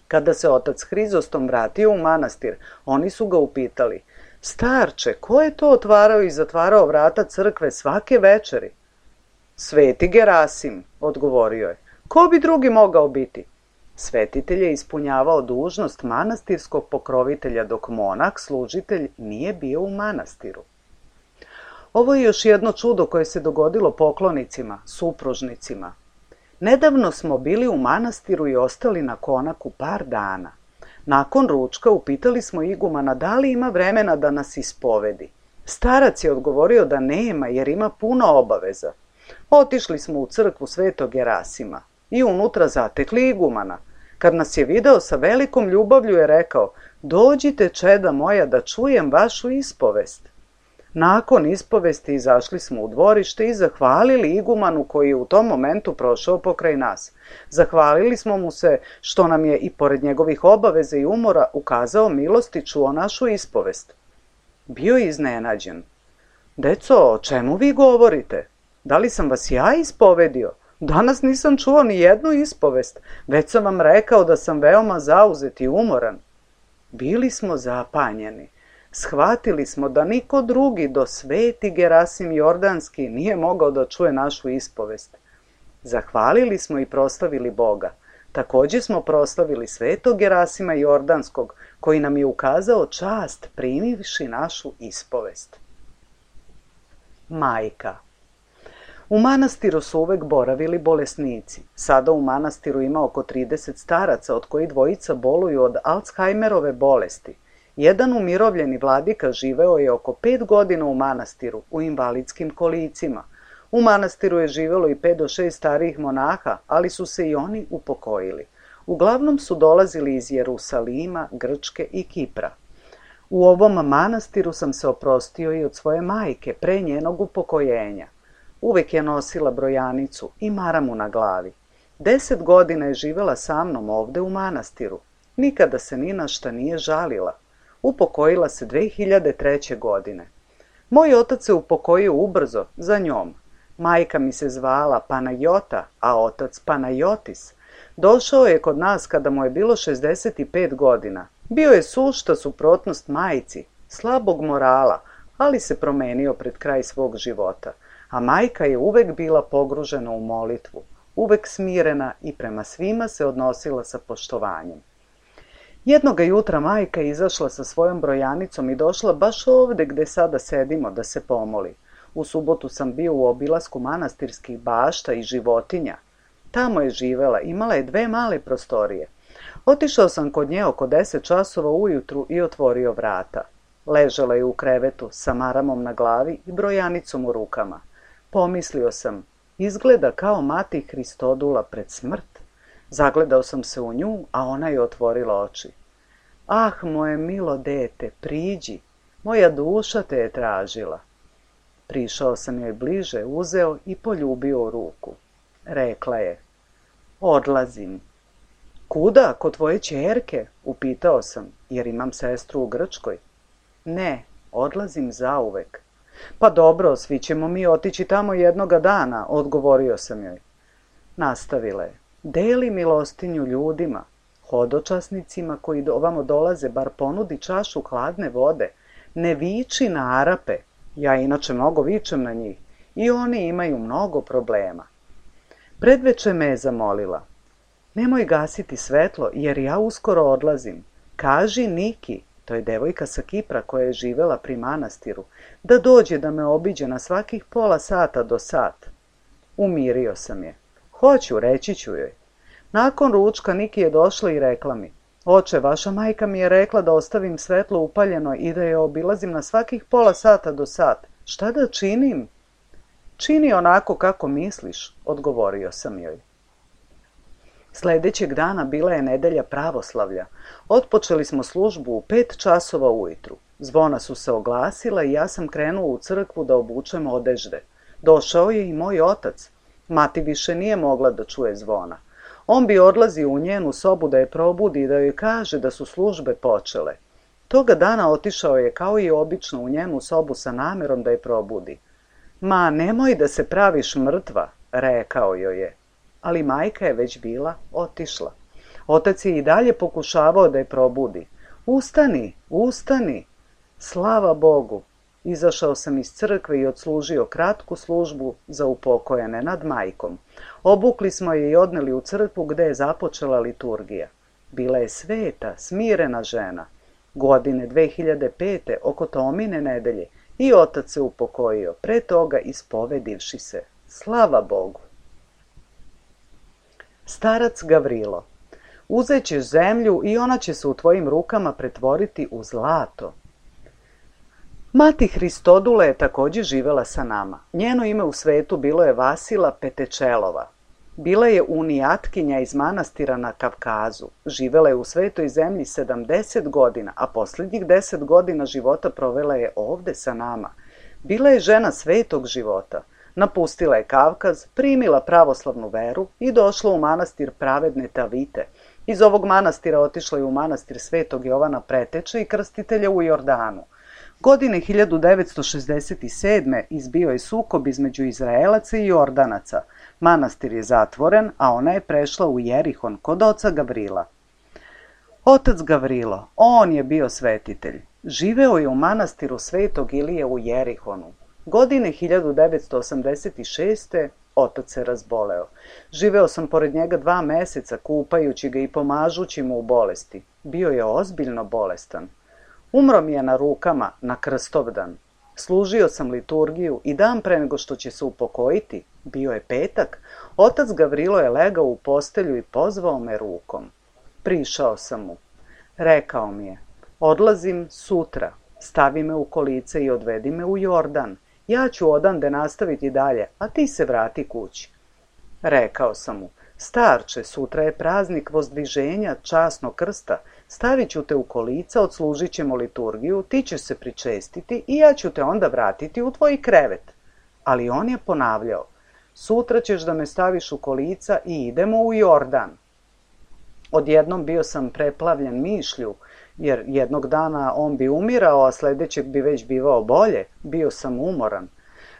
Kada se otac Hrizostom vratio u manastir, oni su ga upitali: "Starče, ko je to otvarao i zatvarao vrata crkve svake večeri?" "Sveti Gerasim," odgovorio je. "Ko bi drugi mogao biti?" Svetitelj je ispunjavao dužnost manastirskog pokrovitelja, dok monah, služitelj, nije bio u manastiru. Ovo je još jedno čudo koje se dogodilo poklonicima, supružnicima. Nedavno smo bili u manastiru i ostali na konaku par dana. Nakon ručka upitali smo igumana da li ima vremena da nas ispovedi. Starac je odgovorio da nema jer ima puno obaveza. Otišli smo u crkvu Svetog Gerasima i unutra zatekli igumana. Kad nas je video, sa velikom ljubavlju je rekao: "Dođite, čeda moja, da čujem vašu ispovest." Nakon ispovesti izašli smo u dvorište i zahvalili igumanu koji je u tom momentu prošao pokraj nas. Zahvalili smo mu se što nam je i pored njegovih obaveza i umora ukazao milost i čuo našu ispovest. Bio je iznenađen. "Deco, o čemu vi govorite? Da li sam vas ja ispovedio? Danas nisam čuo ni jednu ispovest, već sam vam rekao da sam veoma zauzet i umoran." Bili smo zapanjeni. Shvatili smo da niko drugi do sveti Gerasim Jordanski nije mogao da čuje našu ispovest. Zahvalili smo i proslavili Boga. Takođe smo proslavili svetog Gerasima Jordanskog, koji nam je ukazao čast primivši našu ispovest. Majka. U manastiru su uvek boravili bolesnici. Sada u manastiru ima oko trideset staraca, od kojih dvojica boluju od Alzheimerove bolesti. Jedan umirovljeni vladika živeo je oko pet godina u manastiru, u invalidskim kolicima. U manastiru je živelo i pet do šest starijih monaha, ali su se i oni upokojili. Uglavnom su dolazili iz Jerusalima, Grčke i Kipra. U ovom manastiru sam se oprostio i od svoje majke pre njenog upokojenja. Uvek je nosila brojanicu i maramu na glavi. Deset godina je živela sa mnom ovde u manastiru. Nikada se ni na šta nije žalila. Upokojila se dve hiljade treće. godine. Moj otac se upokojio ubrzo za njom. Majka mi se zvala Panajota, a otac Panajotis. Došao je kod nas kada mu je bilo šezdeset pet godina. Bio je sušta suprotnost majci, slabog morala, ali se promenio pred kraj svog života. A majka je uvek bila pogružena u molitvu, uvek smirena i prema svima se odnosila sa poštovanjem. Jednoga jutra majka je izašla sa svojom brojanicom i došla baš ovde gde sada sedimo da se pomoli. U subotu sam bio u obilasku manastirskih bašta i životinja. Tamo je živela, imala je dve male prostorije. Otišao sam kod nje oko deset časova ujutru i otvorio vrata. Ležala je u krevetu sa maramom na glavi i brojanicom u rukama. Pomislio sam, izgleda kao mati Hristodula pred smrt. Zagledao sam se u nju, a ona je otvorila oči. Ah, moje milo dete, priđi, moja duša te je tražila. Prišao sam joj bliže, uzeo i poljubio u ruku. Rekla je, odlazim. Kuda, kod tvoje ćerke? Upitao sam, jer imam sestru u Grčkoj. Ne, odlazim zauvek. Pa dobro, svi ćemo mi otići tamo jednoga dana, odgovorio sam joj. Nastavila je, deli milostinju ljudima, hodočasnicima koji ovamo dolaze, bar ponudi čašu hladne vode. Ne viči na Arape, ja inače mnogo vičem na njih, i oni imaju mnogo problema. Predveče me je zamolila, nemoj gasiti svetlo, jer ja uskoro odlazim. Kaži Niki, to je devojka sa Kipra koja je živela pri manastiru, da dođe da me obiđe na svakih pola sata do sat. Umirio sam je. Hoću, reći ću joj. Nakon ručka Niki je došla i rekla mi, oče, vaša majka mi je rekla da ostavim svetlo upaljeno i da je obilazim na svakih pola sata do sat. Šta da činim? Čini onako kako misliš, odgovorio sam joj. Sljedećeg dana bila je nedelja pravoslavlja. Otpočeli smo službu u pet časova ujutru. Zvona su se oglasila i ja sam krenuo u crkvu da obučem odežde. Došao je i moj otac. Mati više nije mogla da čuje zvona. On bi odlazio u njenu sobu da je probudi i da joj kaže da su službe počele. Toga dana otišao je kao i obično u njenu sobu sa namerom da je probudi. Ma, nemoj da se praviš mrtva, rekao joj je. Ali majka je već bila otišla. Otac je i dalje pokušavao da je probudi. Ustani, ustani. Slava Bogu. Izašao sam iz crkve i odslužio kratku službu za upokojene nad majkom. Obukli smo je i odneli u crkvu gde je započela liturgija. Bila je sveta, smirena žena. Godine dve hiljade pete oko Tomine nedelje i otac se upokojio, pre toga ispovedivši se. Slava Bogu. Starac Gavrilo. Uzet ćeš zemlju i ona će se u tvojim rukama pretvoriti u zlato. Mati Hristodula je također živela sa nama. Njeno ime u svetu bilo je Vasila Petečelova. Bila je unijatkinja iz manastira na Kavkazu. Živela je u svetoj zemlji sedamdeset godina, a posljednjih deset godina života provela je ovde sa nama. Bila je žena svetog života. Napustila je Kavkaz, primila pravoslavnu veru i došla u manastir Pravedne Tavite. Iz ovog manastira otišla je u manastir Svetog Jovana Preteče i Krstitelja u Jordanu. Godine hiljadu devetsto šezdeset sedme izbio je sukob između Izraelaca i Jordanaca. Manastir je zatvoren, a ona je prešla u Jerihon kod oca Gavrila. Otac Gavrilo, on je bio svetitelj. Živeo je u manastiru Svetog Ilije u Jerihonu. Godine hiljadu devetsto osamdeset šeste otac se razboleo. Živeo sam pored njega dva meseca, kupajući ga i pomažući mu u bolesti. Bio je ozbiljno bolestan. Umro mi je na rukama na Krstovdan. Služio sam liturgiju i dan pre nego što će se upokojiti, bio je petak, otac Gavrilo je legao u postelju i pozvao me rukom. Prišao sam mu. Rekao mi je, odlazim sutra, stavi me u kolice i odvedi me u Jordan. Ja ću odande nastaviti dalje, a ti se vrati kući. Rekao sam mu, starče, sutra je praznik vozdviženja časnog krsta, stavit ću te u kolica, odslužit ćemo liturgiju, ti ćeš se pričestiti i ja ću te onda vratiti u tvoj krevet. Ali on je ponavljao, sutra ćeš da me staviš u kolica i idemo u Jordan. Odjednom bio sam preplavljen mišlju, jer jednog dana on bi umirao, a sljedećeg bi već bivao bolje. Bio sam umoran.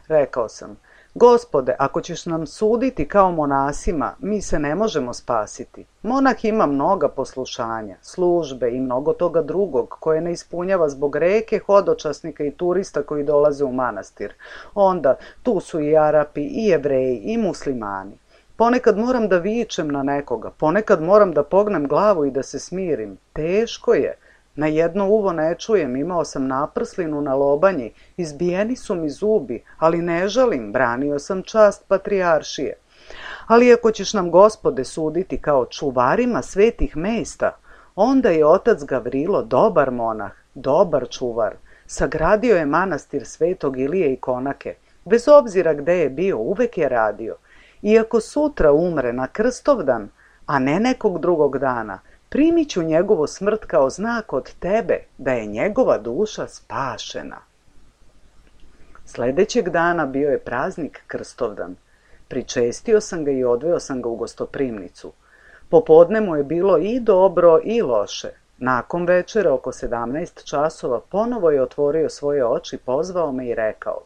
Rekao sam, Gospode, ako ćeš nam suditi kao monasima, mi se ne možemo spasiti. Monah ima mnoga poslušanja, službe i mnogo toga drugog koje ne ispunjava zbog reke hodočasnika i turista koji dolaze u manastir. Onda tu su i Arapi, i Jevreji, i muslimani. Ponekad moram da vičem na nekoga, ponekad moram da pognem glavu i da se smirim. Teško je. Na jedno uvo ne čujem, imao sam naprslinu na lobanji, izbijeni su mi zubi, ali ne žalim, branio sam čast patrijaršije. Ali ako ćeš nam, Gospode, suditi kao čuvarima svetih mesta, onda je otac Gavrilo dobar monah, dobar čuvar. Sagradio je manastir Svetog Ilije i Konake. Bez obzira gde je bio, uvek je radio. I ako sutra umre na Krstovdan, a ne nekog drugog dana, primit ću njegovu smrt kao znak od tebe da je njegova duša spašena. Sledećeg dana bio je praznik Krstovdan. Pričestio sam ga i odveo sam ga u gostoprimnicu. Popodne mu je bilo i dobro i loše. Nakon večere, oko sedamnaest časova, ponovo je otvorio svoje oči, pozvao me i rekao: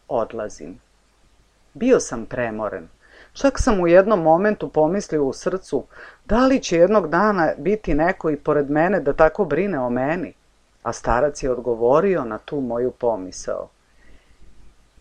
odlazim. Bio sam premoren. Čak sam u jednom momentu pomislio u srcu, da li će jednog dana biti neko i pored mene da tako brine o meni? A starac je odgovorio na tu moju pomisao: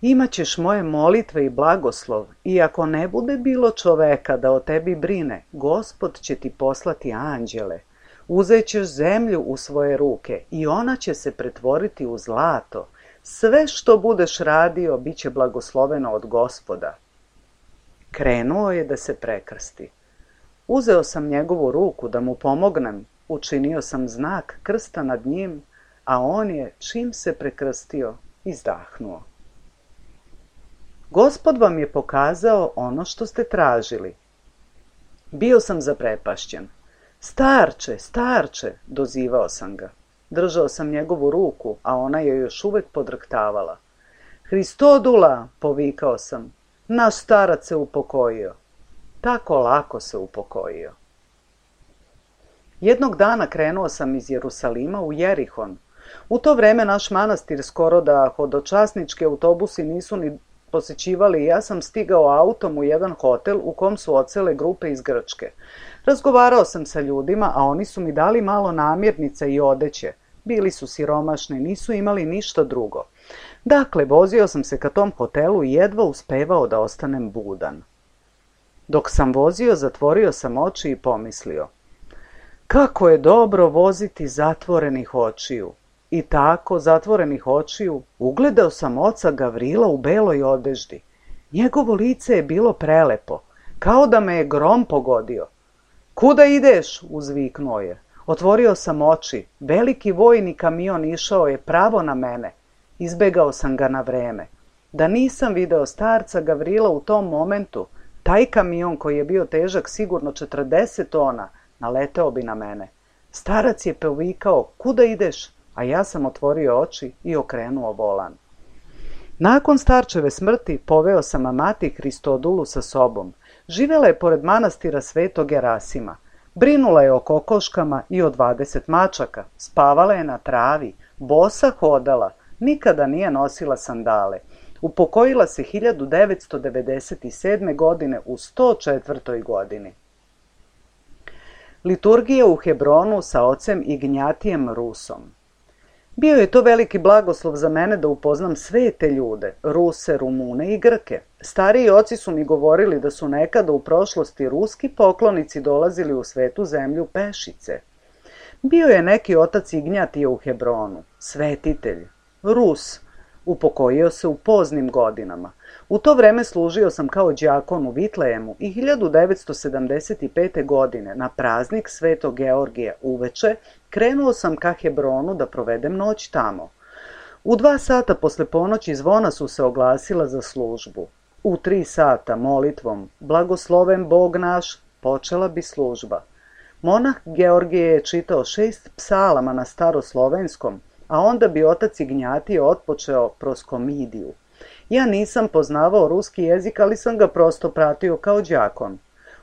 imaćeš moje molitve i blagoslov, i ako ne bude bilo čoveka da o tebi brine, Gospod će ti poslati anđele. Uzećeš zemlju u svoje ruke i ona će se pretvoriti u zlato. Sve što budeš radio bit će blagosloveno od Gospoda. Krenuo je da se prekrsti. Uzeo sam njegovu ruku da mu pomognem, učinio sam znak krsta nad njim, a on je, čim se prekrstio, izdahnuo. Gospod vam je pokazao ono što ste tražili. Bio sam zaprepašćen. Starče, starče, dozivao sam ga. Držao sam njegovu ruku, a ona je još uvek podrhtavala. Hristodula, povikao sam, naš starac se upokojio. Tako lako se upokojio. Jednog dana krenuo sam iz Jerusalima u Jerihon. U to vreme naš manastir skoro da hodočasnički autobusi nisu ni posećivali i ja sam stigao autom u jedan hotel u kom su odsele grupe iz Grčke. Razgovarao sam sa ljudima, a oni su mi dali malo namirnica i odeće. Bili su siromašni, nisu imali ništa drugo. Dakle, vozio sam se ka tom hotelu i jedva uspevao da ostanem budan. Dok sam vozio, zatvorio sam oči i pomislio: kako je dobro voziti zatvorenih očiju. I tako, zatvorenih očiju, ugledao sam oca Gavrila u beloj odeždi. Njegovo lice je bilo prelepo, kao da me je grom pogodio. Kuda ideš? Uzviknuo je. Otvorio sam oči. Veliki vojni kamion išao je pravo na mene. Izbegao sam ga na vreme. Da nisam video starca Gavrila u tom momentu, taj kamion koji je bio težak sigurno četrdeset tona, naleteo bi na mene. Starac je povikao: kuda ideš? A ja sam otvorio oči i okrenuo volan. Nakon starčeve smrti poveo sam amati Hristodulu sa sobom. Živela je pored manastira Svetog Gerasima. Brinula je o kokoškama i o dvadeset mačaka. Spavala je na travi, bosa hodala, nikada nije nosila sandale. Upokojila se hiljadu devetsto devedeset sedme. godine u sto četvrtoj. godini. Liturgija u Hebronu sa ocem Ignjatijem Rusom. Bio je to veliki blagoslov za mene da upoznam sve te ljude, Ruse, Rumune i Grke. Stariji oci su mi govorili da su nekada u prošlosti ruski poklonici dolazili u svetu zemlju pešice. Bio je neki otac Ignjatije u Hebronu, svetitelj, Rus, upokojio se u poznim godinama. U to vreme služio sam kao đakon u Vitlejemu i hiljadu devetsto sedamdeset pete. godine na praznik Svetog Georgija uveče krenuo sam ka Hebronu da provedem noć tamo. U dva sata posle ponoći zvona su se oglasila za službu. U tri sata molitvom Blagosloven Bog naš počela bi služba. Monah Georgije je čitao šest psalama na staroslovenskom, a onda bi otac Ignjatije otpočeo proskomidiju. Ja nisam poznavao ruski jezik, ali sam ga prosto pratio kao đakon.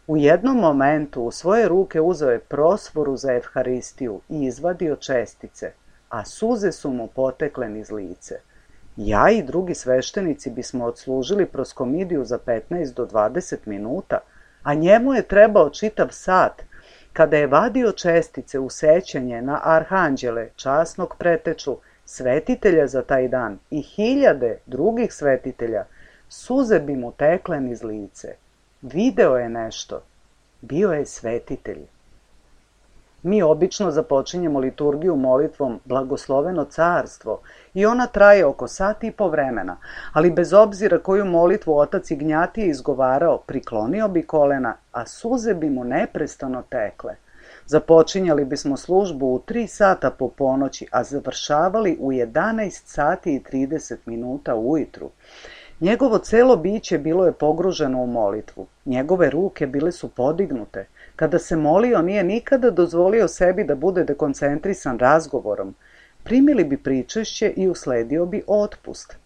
U jednom momentu u svoje ruke uzeo je prosforu za evharistiju i izvadio čestice, a suze su mu potekle niz lice. Ja i drugi sveštenici bismo odslužili proskomidiju za petnaest do dvadeset minuta, a njemu je trebao čitav sat. Kada je vadio čestice u sećanje na arhanđele, časnog preteču, svetitelja za taj dan i hiljade drugih svetitelja, suze bi mu tekle niz lice. Video je nešto. Bio je svetitelj. Mi obično započinjemo liturgiju molitvom Blagosloveno carstvo i ona traje oko sat i po vremena, ali bez obzira koju molitvu otac Ignjatije izgovarao, priklonio bi kolena, a suze bi mu neprestano tekle. Započinjali bismo službu u tri sata po ponoći, a završavali u jedanaest sati i trideset minuta ujutru. Njegovo celo biće bilo je pogruženo u molitvu. Njegove ruke bile su podignute. Kada se molio, nije nikada dozvolio sebi da bude dekoncentrisan razgovorom. Primili bi pričešće i usledio bi otpust.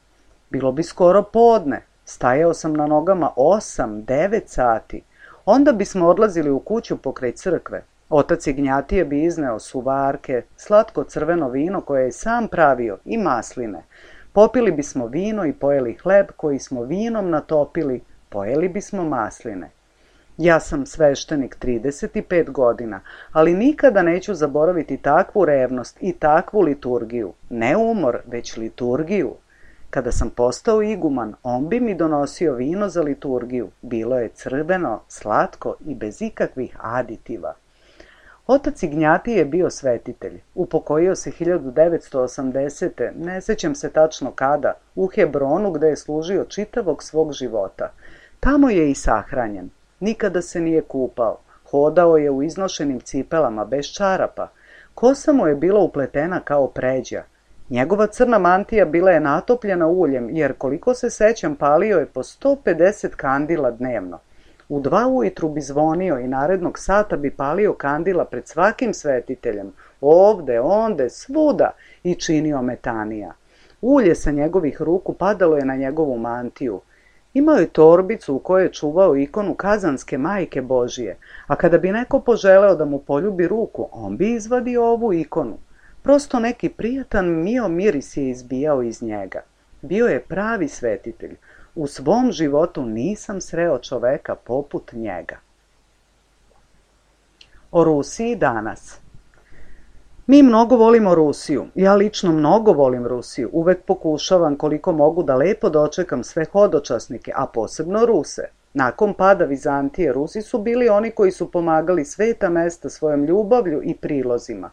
Bilo bi skoro podne. Stajao sam na nogama osam, devet sati. Onda bismo odlazili u kuću pokraj crkve. Otac Ignjatije bi izneo suvarke, slatko crveno vino koje je sam pravio i masline. Popili bismo vino i pojeli hleb koji smo vinom natopili, pojeli bismo masline. Ja sam sveštenik trideset pet godina, ali nikada neću zaboraviti takvu revnost i takvu liturgiju. Ne umor, već liturgiju. Kada sam postao iguman, on bi mi donosio vino za liturgiju. Bilo je crveno, slatko i bez ikakvih aditiva. Otac Ignjatije je bio svetitelj. Upokojio se hiljadu devetsto osamdesete. ne sećam se tačno kada, u Hebronu gde je služio čitavog svog života. Tamo je i sahranjen. Nikada se nije kupao. Hodao je u iznošenim cipelama, bez čarapa. Kosa mu je bila upletena kao pređa. Njegova crna mantija bila je natopljena uljem, jer koliko se sećam palio je po sto pedeset kandila dnevno. U dva ujutru bi zvonio i narednog sata bi palio kandila pred svakim svetiteljem, ovde, onde, svuda, i činio metanija. Ulje sa njegovih ruku padalo je na njegovu mantiju. Imao je torbicu u kojoj je čuvao ikonu Kazanske majke Božije, a kada bi neko poželeo da mu poljubi ruku, on bi izvadio ovu ikonu. Prosto neki prijatan mio miris je izbijao iz njega. Bio je pravi svetitelj. U svom životu nisam sreo čoveka poput njega. O Rusiji danas. Mi mnogo volimo Rusiju. Ja lično mnogo volim Rusiju. Uvek pokušavam koliko mogu da lepo dočekam sve hodočasnike, a posebno Ruse. Nakon pada Vizantije, Rusi su bili oni koji su pomagali sveta mesta svojom ljubavlju i prilozima.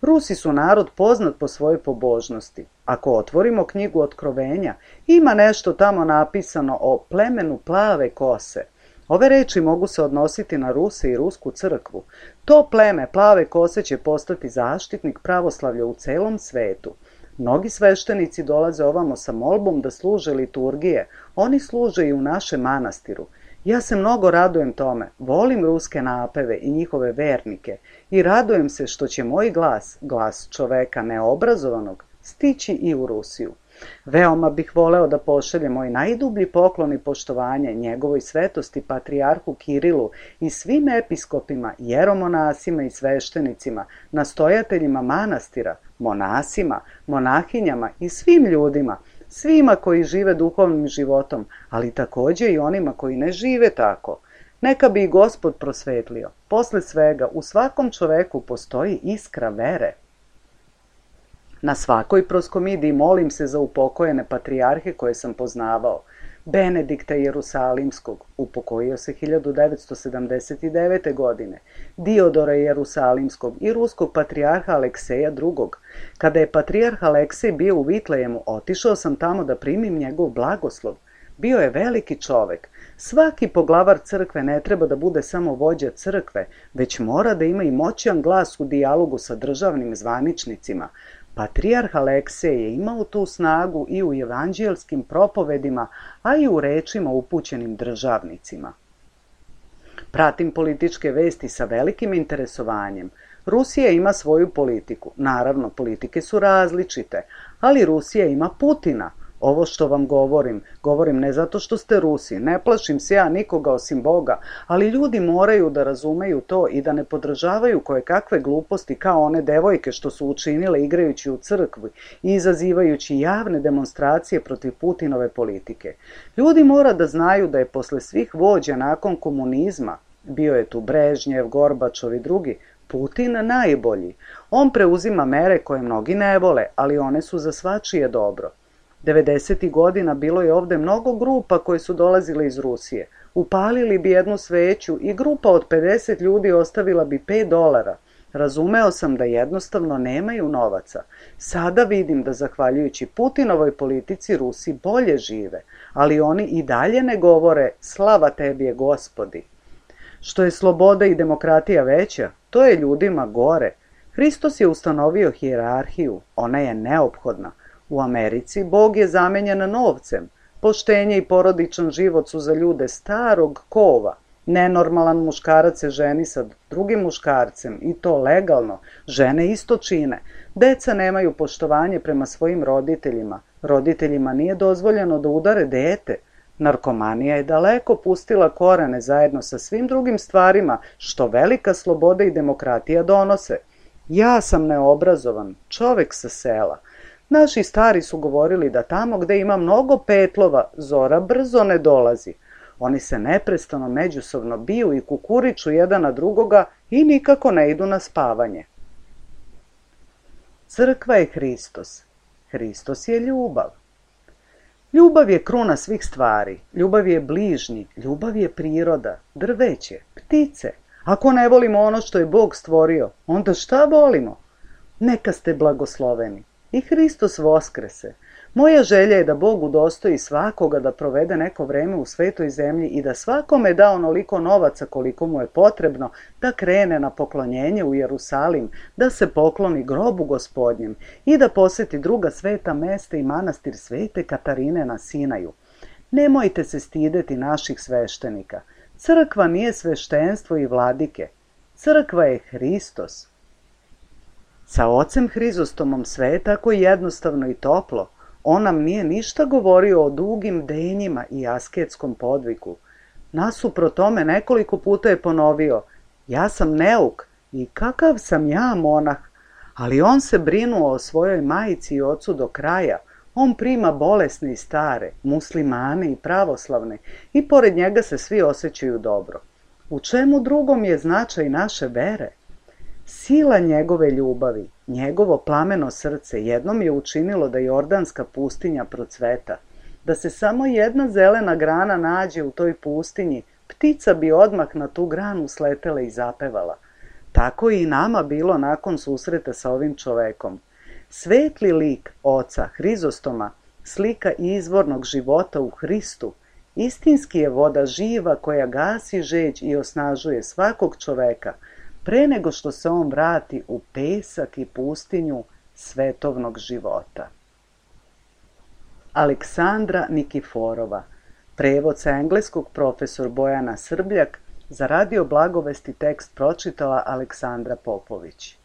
Rusi su narod poznat po svojoj pobožnosti. Ako otvorimo knjigu Otkrovenja, ima nešto tamo napisano o plemenu plave kose. Ove reči mogu se odnositi na Ruse i Rusku crkvu. To pleme plave kose će postati zaštitnik pravoslavlja u celom svetu. Mnogi sveštenici dolaze ovamo sa molbom da služe liturgije. Oni služe i u našem manastiru. Ja se mnogo radujem tome, volim ruske napeve i njihove vernike i radujem se što će moj glas, glas čoveka neobrazovanog, stići i u Rusiju. Veoma bih voleo da pošaljem moj najdublji poklon i poštovanje njegovoj svetosti patrijarhu Kirilu i svim episkopima, jeromonasima i sveštenicima, nastojateljima manastira, monasima, monahinjama i svim ljudima, svima koji žive duhovnim životom, ali takođe i onima koji ne žive tako. Neka bi i Gospod prosvetlio. Posle svega, u svakom čoveku postoji iskra vere. Na svakoj proskomidiji molim se za upokojene patrijarhe koje sam poznavao. Benedikta Jerusalimskog, upokojio se hiljadu devetsto sedamdeset devete. godine, Diodora Jerusalimskog i ruskog patrijarha Alekseja drugog. Kada je patrijarh Aleksej bio u Vitlejemu, otišao sam tamo da primim njegov blagoslov. Bio je veliki čovek. Svaki poglavar crkve ne treba da bude samo vođa crkve, već mora da ima i moćan glas u dijalogu sa državnim zvaničnicima. Patrijarh Aleksej je imao tu snagu i u evanđelskim propovedima, a i u rečima upućenim državnicima. Pratim političke vesti sa velikim interesovanjem. Rusija ima svoju politiku. Naravno, politike su različite, ali Rusija ima Putina. Ovo što vam govorim, govorim ne zato što ste Rusi, ne plašim se ja nikoga osim Boga, ali ljudi moraju da razumeju to i da ne podržavaju koje kakve gluposti kao one devojke što su učinile igrajući u crkvi i izazivajući javne demonstracije protiv Putinove politike. Ljudi mora da znaju da je posle svih vođa nakon komunizma, bio je tu Brežnjev, Gorbačov i drugi, Putin najbolji. On preuzima mere koje mnogi ne vole, ali one su za svačije dobro. devedesetih godina bilo je ovde mnogo grupa koje su dolazile iz Rusije. Upalili bi jednu sveću i grupa od pedeset ljudi ostavila bi pet dolara. Razumeo sam da jednostavno nemaju novaca. Sada vidim da zahvaljujući Putinovoj politici Rusi bolje žive, ali oni i dalje ne govore slava tebi je Gospodi. Što je sloboda i demokratija veća, to je ljudima gore. Hristos je ustanovio hijerarhiju, ona je neophodna. U Americi Bog je zamenjen novcem. Poštenje i porodičan život su za ljude starog kova. Nenormalan muškarac se ženi sa drugim muškarcem i to legalno. Žene isto čine. Deca nemaju poštovanje prema svojim roditeljima. Roditeljima nije dozvoljeno da udare dete. Narkomanija je daleko pustila korene zajedno sa svim drugim stvarima što velika sloboda i demokratija donose. Ja sam neobrazovan, čovek sa sela. Naši stari su govorili da tamo gde ima mnogo petlova, zora brzo ne dolazi. Oni se neprestano međusobno biju i kukuriču jedan na drugoga i nikako ne idu na spavanje. Crkva je Hristos. Hristos je ljubav. Ljubav je kruna svih stvari. Ljubav je bližnji. Ljubav je priroda, drveće, ptice. Ako ne volimo ono što je Bog stvorio, onda šta volimo? Neka ste blagosloveni. I Hristos voskrese. Moja želja je da Bog udostoji svakoga da provede neko vreme u svetoj zemlji i da svakome da onoliko novaca koliko mu je potrebno da krene na poklonjenje u Jerusalim, da se pokloni grobu Gospodnjem i da poseti druga sveta mesta i manastir Svete Katarine na Sinaju. Nemojte se stideti naših sveštenika. Crkva nije sveštenstvo i vladike. Crkva je Hristos. Sa ocem Hrizostomom sve je tako jednostavno i toplo. On nam nije ništa govorio o dugim denjima i asketskom podviku. Nasuprot tome nekoliko puta je ponovio: ja sam neuk i kakav sam ja monah, ali on se brinuo o svojoj majici i ocu do kraja. On prima bolesne i stare, muslimane i pravoslavne i pored njega se svi osjećaju dobro. U čemu drugom je značaj naše vere? Sila njegove ljubavi, njegovo plameno srce jednom je učinilo da jordanska pustinja procveta. Da se samo jedna zelena grana nađe u toj pustinji, ptica bi odmah na tu granu sletela i zapevala. Tako je i nama bilo nakon susreta sa ovim čovekom. Svetli lik oca Hrizostoma, slika izvornog života u Hristu, istinski je voda živa koja gasi žeđ i osnažuje svakog čoveka, pre nego što se on vrati u pesak i pustinju svetovnog života. Aleksandra Nikiforova, prevod sa engleskog profesor Bojana Srbljak, za Radio Blagovesti tekst pročitala Aleksandra Popović.